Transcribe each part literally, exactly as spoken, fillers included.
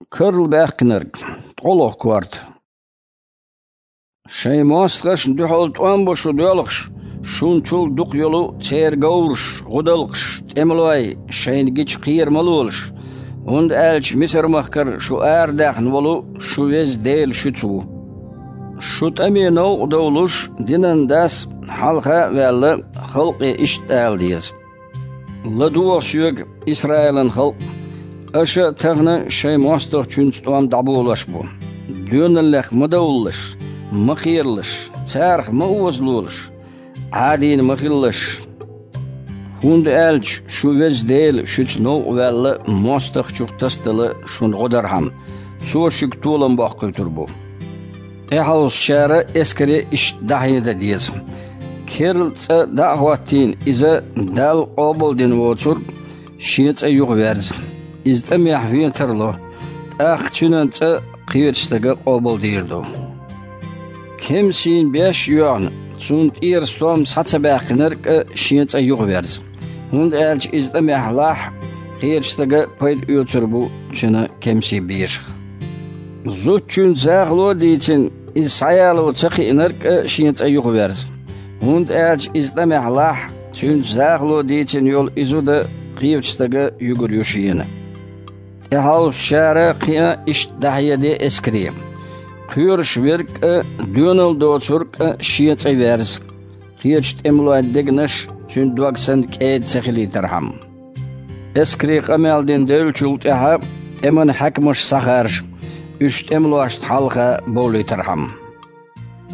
Карла баьккхинарг, ткъолгӀа корта. Шайн мостагӀашна дуьхьал тӀом бу шу доьлхуш, шун чул дукха йолу церан говраш, гӀудалкхаш, тӀемалой шайна гича кхера ма лолаш, хӀунда аьлча Мисар-махкара шу арадаьхна волу шун Веза Дела шуьца ву. Шун тӀаме новкъа довлуш, динан дас, хьалха а ваьлла, халкъе иштта ала деза: «ЛадогӀа соьга, Исраилан халкъ, аша а тахана шайн мостагӀчуьнца тӀом дӀаболош бу. Доьналлех ма довлалаш, ма кхералаш, царах ма озалолаш, Ӏадийна ма хилалаш. ХӀунда аьлча шун Веза Дела шуьца новкъа ваьлла, мостагӀчух тасадала шуна гӀо дархьама, Цо шуьга толам боккхуьйтур бу». ТӀехьовсучара эскаре иштта дӀахьедан деза: «Керла цӀа дӀа а хӀоттийна, иза Далла къобалдина воцург шен цӀа юхаверза. Иза тӀамехь вен тарло, тӀаккха цуьнан цӀа кхечу стага къобалдийр ду. Кемсийн беш а йоьгӀна, цунна тӀера стом схьа ца баьккхинарг а шен цӀа юхаверза, хӀунда аьлча иза тӀамехь лахь, кхечу стага пайда оьцур бу цуьнан кемсийн бешах. Зудчуьнца захало а дийцина, иза схьаяло ца кхиънарг а шен цӀа юхаверза, хӀунда аьлча иза тӀамехь лахь, цуьнца захало а дийцина йолу и зуда кхечу стага юьгур ю шена». ТӀехьовсучара кхин а иштта дӀахьеде эскаре: «Кхоьруш верг а, доьналла доцург а шен цӀа верза, кхечу тӀемалойн дегнаш цуьнан дог санна кӀеда ца хилийтархьама». Эскаре къамел дина девллачул тӀаьхьа тӀеман хьаькамаш схьахаржа, уьш тӀемалошна хьалха бовлийтархьама.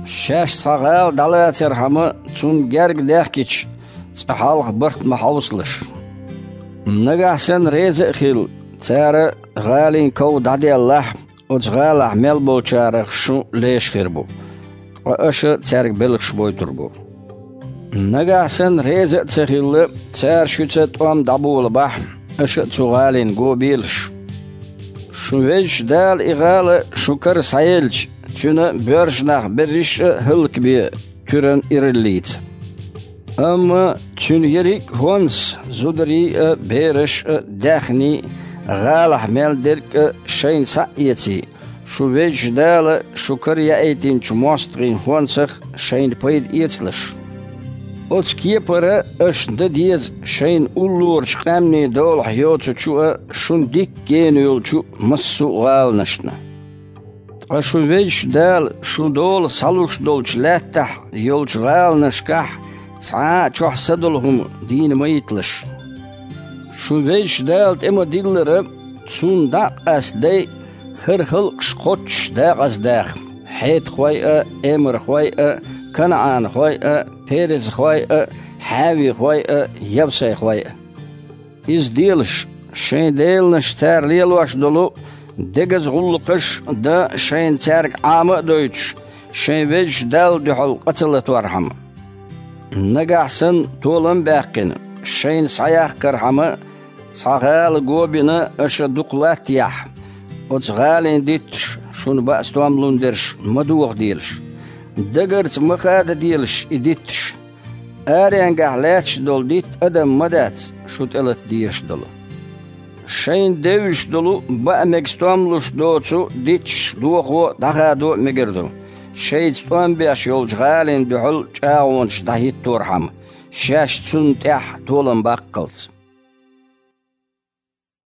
Шаьш цхьа гӀала дӀалацархьама, цунна герга даьхкича, цкъа хьалха барт ма хьовсалаш. Нагахь санна реза а хилла, цара гӀалин ков дӀаделлахь, оцу гӀалахь мел болчарах шун леш хир бу, ткъа аша цаьрга белхаш бойтур бу. Нагахь санна реза а ца хилла, цара шуьца тӀом дӀаболабахь, аша а цу гӀалина го белаш. Шун Везачу Дала и гӀала шун кара схьаелча, цуьнан боьрша нах берриш а хӀаллакбе туьран ираллица. Амма цуьнан ерриг а хӀонс, зударий а, бераш а, даьхний а, гӀалахь мел дерг а шайна схьа а эций, шун Везачу Дала шун кара яийтинчу мостагӀийн хӀонсах шайна пайда эцалаш. Оцу кепара аша дан деза шайна уллорачу къаьмнийн долахь йоцучу а, шуна дикка гена йолчу массо а гӀаланашна. Ткъа шун Везачу Дала шун дола схьалуш долчу лаьттахь йолчу гӀаланашкахь цхьа а чохь са долу хӀума дийна ма йиталаш. Шун Везачу Дала тӀе ма-диллара, Цунна дӀа а къастадай хӀара халкъаш кхоччуш дакъаздаха: хьетахой а, эморхой а, канаӀанхой а, перезхой а, хьаьвихой а, явсайхой а. Иза делаш, шайн деланаш цара лелош долу дегаза гӀуллакхаш а дан, шайна цаьрга Ӏама а дойтуш, шайн Везачу Далла дуьхьал къа ца латорхьама. Нагахь санна толам а баьккхина, шайна схьаяккхархьама, цхьа гӀала го бина аша дукха латтаяхь, оцу гӀалин дитташ шуна баа стом лун дерш ма дохаделаш. Дагарца ма хададелаш и дитташ. Аренгахь лаьтташ долу дитт адам ма дац, шу тӀелата дезаш долу. Шайна девзаш долу баа мега стом луш доцу дитташ дохо а, дӀахадо а мегар ду, шайца тӀом беш йолчу гӀалина дуьхьал чӀагӀонаш дӀахӀитторхьама, шаьш цунна тӀехь толам баккхалц.